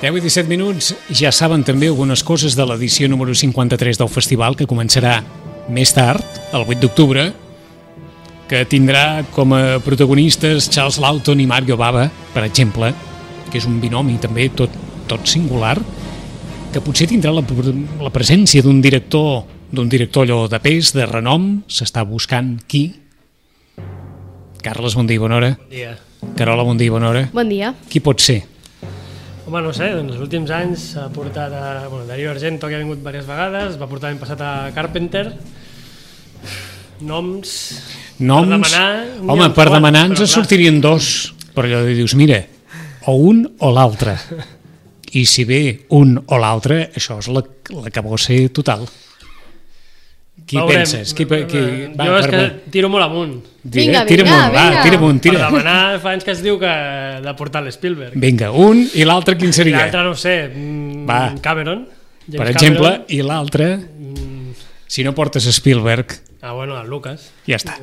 10 i 17 minuts, ja saben també algunes coses de l'edició número 53 del festival, que començarà més tard, el 8 d'octubre, que tindrà com a protagonistes Charles Laughton i Mario Bava, per exemple, que és un binomi també tot singular, que potser tindrà la presència d'un director allò de pes, de renom. S'està buscant qui? Carles, bon dia i bona hora. Bon dia. Carola, bon dia i bona hora. Bon dia. Qui pot ser? Home, no sé, doncs els últims anys s'ha portat Dario Argento, que ha vingut diverses vegades, va portar l'any passat a Carpenter. Noms... Per demanar... Home, per demanar ens sortirien dos, però allò dius, mira, o un o l'altre. I si ve un o l'altre, això és la cabosser total. Qui penses? Jo és que tiro molt amunt. Vinga. Tira amunt. Per demanar fa anys que es diu que de portar l'Spielberg. Vinga, un i l'altre quin seria? L'altre no ho sé, Cameron. Per exemple, i l'altre, si no portes Spielberg... Bueno, el Lucas. Ja està.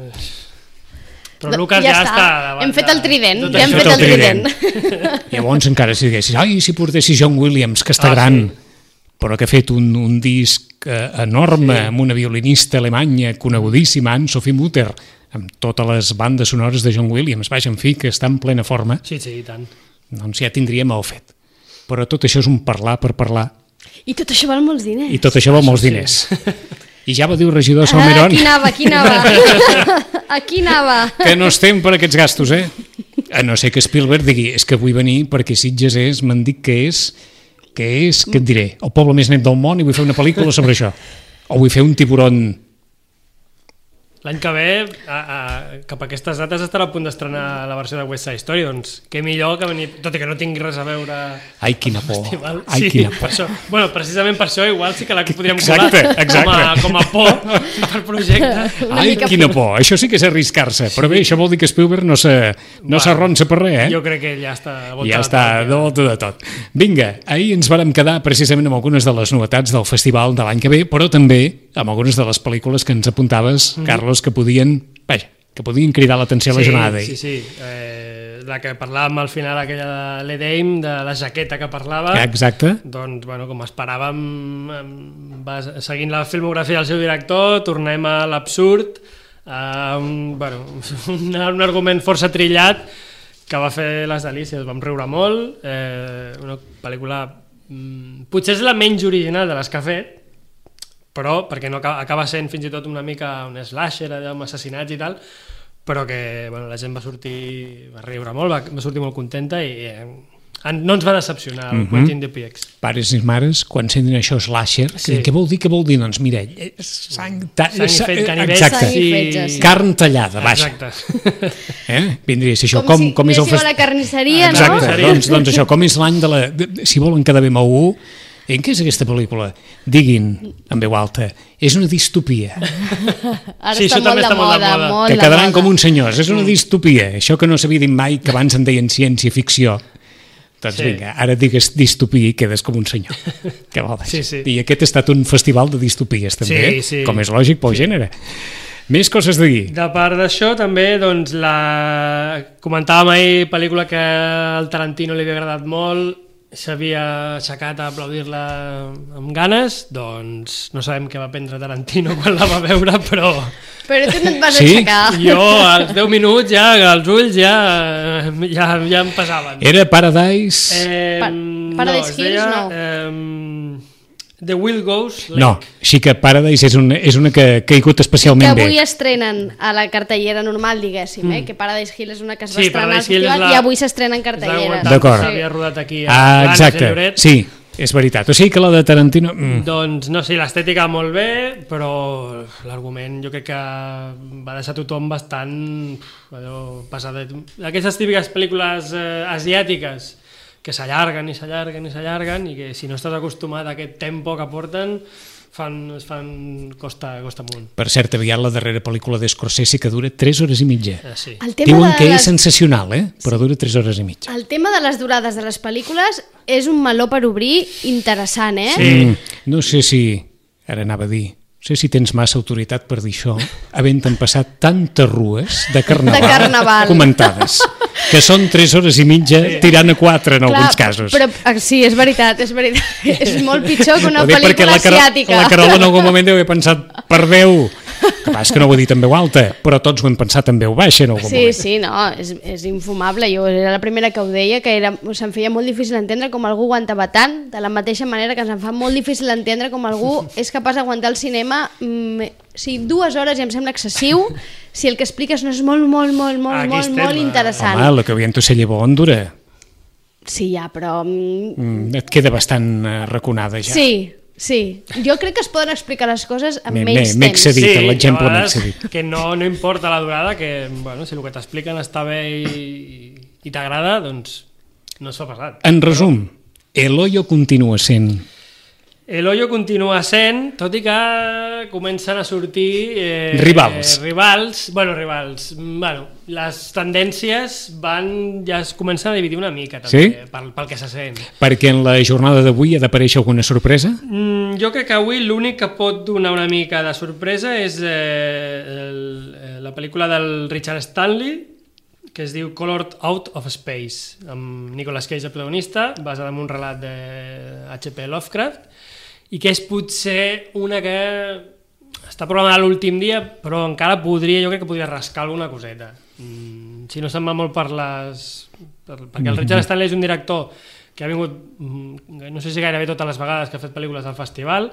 Però Lucas ja està davant. Hem fet el trident. Llavors encara si diguessis, si portessis John Williams, que està gran, però que ha fet un disc enorme amb una violinista alemanya conegudíssima, Anne-Sophie Mutter, amb totes les bandes sonores de John Williams, vaja, en fi, que està en plena forma. Sí, i tant. Doncs ja tindríem el fet. Però tot això és un parlar per parlar. I tot això val molts diners. I ja va dir el regidor de Salmerón. Aquí anava. Que no estem per aquests gastos, A no ser que Spielberg digui, és que vull venir perquè Sitges m'han dit que et diré, el poble més net del món i vull fer una pel·lícula sobre això. O vull fer un tiburon. L'any que ve, cap a aquestes dates, estarà a punt d'estrenar la versió de West Side Story, doncs què millor que venir, tot i que no tingui res a veure... Ai, quina por. Quina por. Precisament per això igual sí que la podríem colar com a por per projecte. Ai, quina por. Això sí que és arriscar-se, però bé, això vol dir que Spielberg no s'arronsa per res, Jo crec que ja està de volta de tot. Vinga, ahir ens vàrem quedar precisament amb algunes de les novetats del festival de l'any que ve, però també amb algunes de les pel·lícules que ens apuntaves, Carlos, que podien cridar l'atenció a la jornada. Sí. La que parlàvem al final, aquella de l'Edeim, de la jaqueta que parlava. Exacte. Doncs, com esperàvem, seguint la filmografia del seu director, tornem a l'absurd, un argument força trillat que va fer les delícies, vam riure molt, una pel·lícula potser és la menys original de les que ha fet, però perquè no acaba sent fins i tot una mica un slasher amb assassinats i tal, però que la gent va riure molt, va sortir molt contenta i no ens va decepcionar el Quentin Dupieux. Pares i mares, quan sentin això slasher, què vol dir? Doncs mira, sang i fet, canivets, carn tallada, vaja. Vindria a ser això, com és el festival. Com si a la carnisseria, no? Exacte, doncs això, com és l'any de la... Si volen quedar bé amb algú, què és aquesta pel·lícula? Diguin, en veu alta, és una distopia. Ara està molt de moda. Que quedaran com uns senyors, és una distopia. Això que no s'havia dit mai, que abans en deien ciència-ficció. Doncs vinga, ara digues distopia i quedes com un senyor. Que vol dir. I aquest ha estat un festival de distopies, també, com és lògic pel gènere. Més coses a dir. De part d'això, també, doncs, comentàvem ahir, pel·lícula que al Tarantino li havia agradat molt, s'havia aixecat a aplaudir-la amb ganes, doncs no sabem què va prendre Tarantino quan la va veure, però tu no et vas aixecar. Jo als 10 minuts ja els ulls ja em pesaven. Era Paradise? Paradise Hills, no. The Will Goes Lake. No, sí que Paradise és una que ha caigut especialment bé. Que avui estrenen a la cartellera normal, diguéssim, que Paradise Hill és una que es va estrenar al festival i avui s'estrena en cartellera. D'acord. S'havia rodat aquí a exacte, sí, és veritat. O sigui que la de Tarantino... Doncs no, sí, l'estètica molt bé, però l'argument jo crec que va deixar tothom bastant passadet. Aquestes típiques pel·lícules asiàtiques que s'allarguen i que si no estàs acostumat a aquest tempo que porten costa amunt. Per cert, aviat la darrera pel·lícula d'Scorsese que dura 3 hores i mitja. Sí. Diuen que és sensacional, però dura 3 hores i mitja. El tema de les durades de les pel·lícules és un meló per obrir interessant, Sí. No sé si... Ara anava a dir... No sé si tens massa autoritat per dir això, havent-te'n passat tantes rues de carnaval comentades. que són 3 hores i mitja tirant a 4 en alguns casos. Però sí, és veritat. És molt pitjor que una pel·lícula asiàtica. La Carola en algun moment deu haver pensat per 10, que és que no ho he dit en veu alta, però tots ho hem pensat en veu baixa en algun moment. Sí, no, és infumable. Jo era la primera que ho deia, que se'm feia molt difícil entendre com algú aguantava tant, de la mateixa manera que ens fa molt difícil entendre com algú és capaç d'aguantar el cinema 2 hores ja em sembla excessiu si el que expliques no és molt interessant. Home, lo que havien tu se llevó on dura. Sí, ja, però... Et queda bastant raconada ja. Sí. Jo crec que es poden explicar les coses amb menys temps. M'he excedit, l'exemple m'he excedit. Que no importa la durada, que bueno, si el que t'expliquen està bé i t'agrada, doncs no es fa pesat. En resum, El Hoyo continua sent... El Hoyo continua sent, tot i que comencen a sortir... Rivals. Bueno, les tendències ja es comencen a dividir una mica, també, pel que se sent. Perquè en la jornada d'avui ha d'aparèixer alguna sorpresa? Jo crec que avui l'únic que pot donar una mica de sorpresa és la pel·lícula del Richard Stanley, que es diu Colored Out of Space, amb Nicolas Cage el protagonista, basada en un relat de H.P. Lovecraft, i que és potser una que està programada l'últim dia, però encara jo crec que podria rascar alguna coseta. Si no se'n va molt perquè el Richard Stanley és un director que ha vingut, no sé si gairebé totes les vegades que ha fet pel·lícules al festival,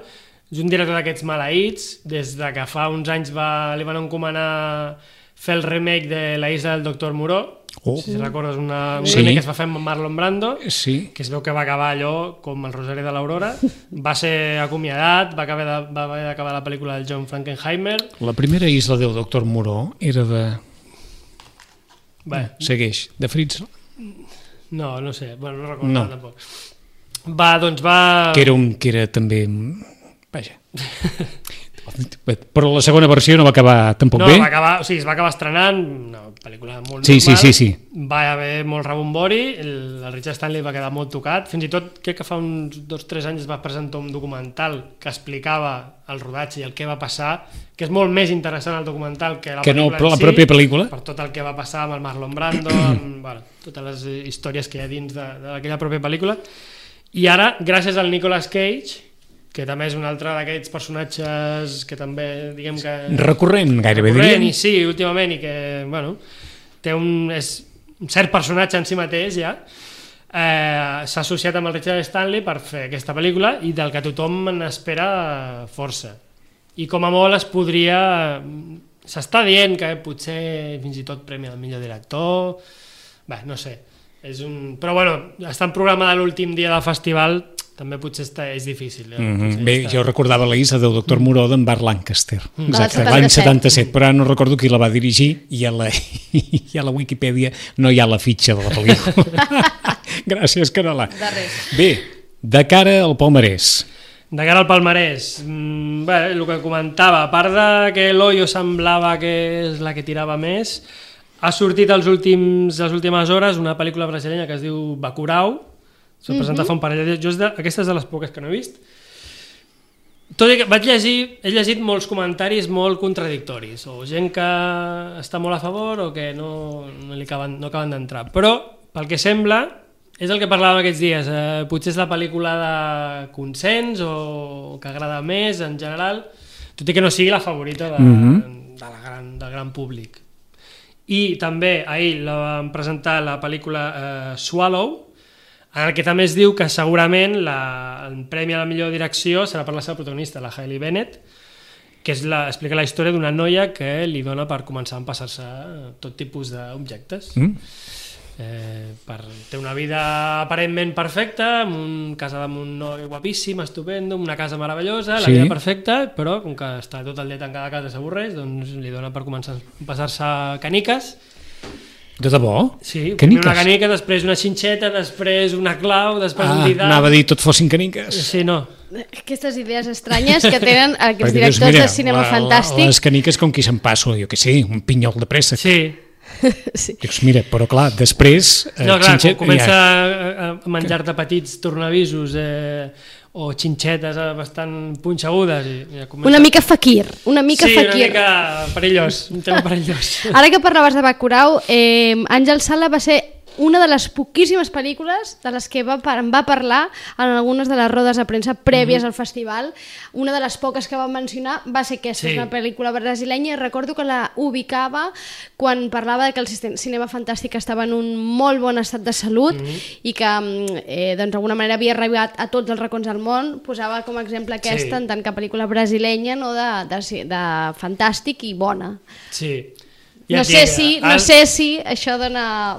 és un director d'aquests maleïts, des de que fa uns anys li van encomanar fer el remake de La isla del Doctor Moreau, si recordes un remake que es va fer amb Marlon Brando, que es veu que va acabar allò com el Rosari de l'Aurora, va ser acomiadat, va haver d'acabar la pel·lícula del John Frankenheimer. La primera isla del Doctor Moreau era de... Segueix, de Fritz? No sé, bueno, no recordo tampoc. Que era també... Vaja... Però la segona versió no va acabar tampoc bé? Es va acabar estrenant una pel·lícula molt normal. Sí. Va haver molt rebombori, el Richard Stanley va quedar molt tocat, fins i tot crec que fa uns 2-3 anys es va presentar un documental que explicava el rodatge i el que va passar, que és molt més interessant el documental que la pròpia pel·lícula, per tot el que va passar amb el Marlon Brando, amb totes les històries que hi ha dins d'aquella pròpia pel·lícula. I ara, gràcies al Nicolas Cage, que també és un altre d'aquests personatges que també, diguem que... Recurrent, gairebé diríem. Sí, últimament, i que, bueno, té un cert personatge en si mateix, ja. S'ha associat amb el Richard Stanley per fer aquesta pel·lícula i del que tothom n'espera força. I com a molt es podria... S'està dient que potser fins i tot premi al millor director... Bé, no sé. Però, bueno, estan programada l'últim dia del festival... també potser és difícil. Bé, jo recordava la isla del Doctor Moreau d'en Burt Lancaster, l'any 77, però no recordo qui la va dirigir i a la Wikipedia no hi ha la fitxa de la pel·lícula. Gràcies, Carola. Bé, de cara al palmarès. De cara al palmarès, el que comentava, a part de que l'Hoyo semblava que és la que tirava més, ha sortit les últimes hores una pel·lícula brasileña que es diu Bacurau. S'ha presentat fa un parell de dies. Aquesta és de les poques que no he vist. Tot i que he llegit molts comentaris molt contradictoris, o gent que està molt a favor o que no acaben d'entrar. Però, pel que sembla, és el que parlàvem aquests dies. Potser és la pel·lícula de consens o que agrada més en general, tot i que no sigui la favorita del gran públic. I també ahir van presentar la pel·lícula Swallow, en el que també es diu que segurament el premi a la millor direcció serà per la seva protagonista, la Hailey Bennett, que explica la història d'una noia que li dona per començar a empassar-se tot tipus d'objectes. Té una vida aparentment perfecta, casada amb un noi guapíssim, estupendo, una casa meravellosa, la vida perfecta, però com que està tot el dia tancada a casa i s'avorreix, doncs li dona per començar a empassar-se caniques. De debò? Sí, primer una canica, després una xinxeta, després una clau, després un didal... Anava a dir tot fossin caniques. Sí, no. Aquestes idees estranyes que tenen aquests directors de cinema fantàstic. Les caniques com qui se'n passa, jo què sé, un pinyol de préssec. Sí, Sí. Dius, mira, però clar, després... No, clar, quan comença a menjar-te petits tornavisos o xinxetes bastant punxegudes i ja comença... Una mica fakir, una mica sí, fakir. Sí, una mica perillós, un tema perillós. Ara que parlaves de Bacurau, Àngel Sala va ser una de les poquíssimes pel·lícules de les que em va parlar en algunes de les rodes de premsa prèvies al festival. Una de les poques que va mencionar va ser aquesta, Sí. és una pel·lícula brasilenya, i recordo que la ubicava quan parlava de que el cinema fantàstic estava en un molt bon estat de salut i que doncs, d'alguna manera havia arribat a tots els racons del món. Posava com a exemple aquesta Sí. en tant que pel·lícula brasilenya, no, de fantàstic i bona. Sí. No sé si això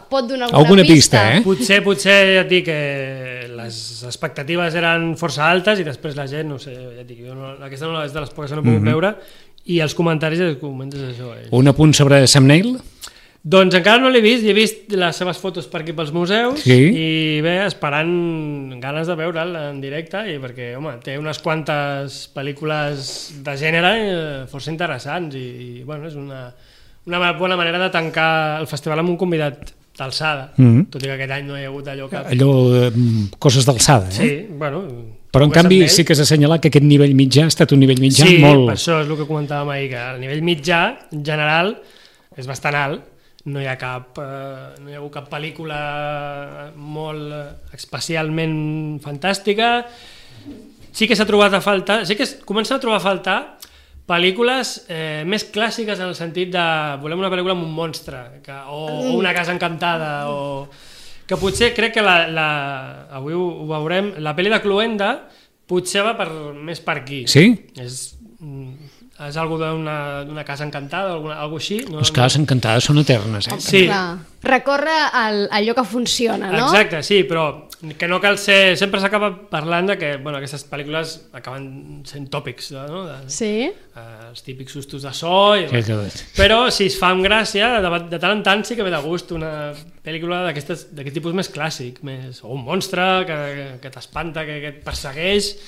pot donar alguna pista, eh? Potser ja et dic que les expectatives eren força altes i després la gent, no sé, ja et dic, aquesta no és de les poques que no he pogut veure i els comentaris comentes això. Un apunt sobre Sam Neill? Doncs encara no l'he vist, he vist les seves fotos per aquí pels museus i bé, esperant ganes de veure'l en directe i perquè, home, té unes quantes pel·lícules de gènere força interessants i bueno, és una bona manera de tancar el festival amb un convidat d'alçada, tot i que aquest any no hi ha hagut coses d'alçada, eh? Sí, bueno... Però en canvi sí que s'ha assenyalat que aquest nivell mitjà ha estat un nivell mitjà molt... Sí, per això és el que comentàvem ahir, que el nivell mitjà, en general, és bastant alt. No hi ha hagut cap pel·lícula molt especialment fantàstica. Sí que s'ha trobat a faltar, sí que comença a trobar a faltar pel·lícules més clàssiques en el sentit de volem una pel·lícula amb un monstre o una casa encantada o que potser crec que avui ho veurem, la pel·li de Cluenda potser va més per aquí. Sí? És algú d'una casa encantada o alguna així. Les cases encantades són eternes, eh? Sí. Recorre allò que funciona, no? Exacte, sí, però que no cal ser... Sempre s'acaba parlant de que aquestes pel·lícules acaben sent tòpics, no? Sí. Els típics sustos de so... Però si es fa amb gràcia, de tant en tant sí que ve de gust una pel·lícula d'aquest tipus més clàssic, o un monstre que t'espanta, que et persegueix...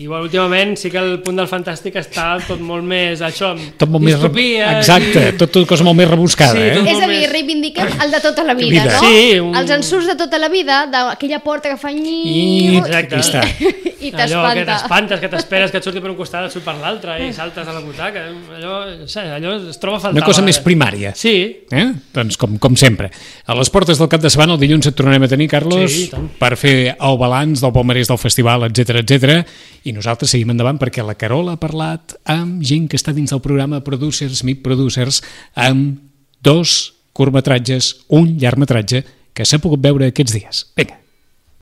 I bueno, últimament sí que el punt del fantàstic està tot molt més això, amb distopia... Exacte, tot cosa molt més rebuscada, sí, És a dir, reivindiquem el de tota la vida, no? Sí, els ensurts de tota la vida, d'aquella porta que fa Exacte. I t'espanta. Allò que t'espantes, que t'esperes que et surti per un costat, et surt per l'altre i saltes a la butaca, allò es troba a faltar. Una cosa més primària. Sí. Doncs com sempre. A les portes del cap de setmana, el dilluns et tornarem a tenir, Carlos, per fer el balanç del palmarès del festival, etc. I nosaltres seguim endavant perquè la Carola ha parlat amb gent que està dins del programa Producers Meet Producers amb 2 curtmetratges, un llargmetratge que s'ha pogut veure aquests dies. Vinga.